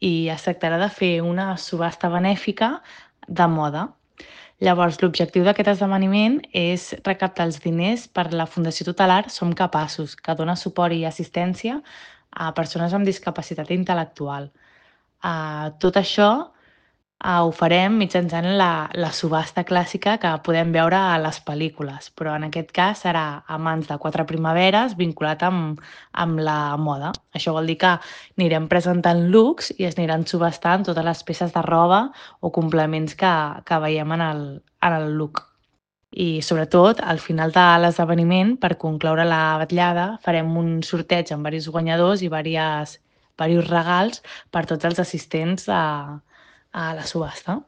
i es tractarà de fer una subhasta benèfica de moda. Llavors, l'objectiu d'aquest esdeveniment és recaptar els diners per la Fundació Tutelar Som Capaços, que dona suport i assistència a persones amb discapacitat intel·lectual. Tot això ho farem mitjançant la subhasta clàssica que podem veure a les pel·lícules, però en aquest cas serà a mans de 4 primaveres vinculat amb la moda. Això vol dir que anirem presentant looks i es aniran subhastant totes les peces de roba o complements que veiem en el look. I sobretot, al final de l'esdeveniment, per concloure la vetllada, farem un sorteig amb diversos guanyadors i diversos regals per tots els assistents a la subhasta.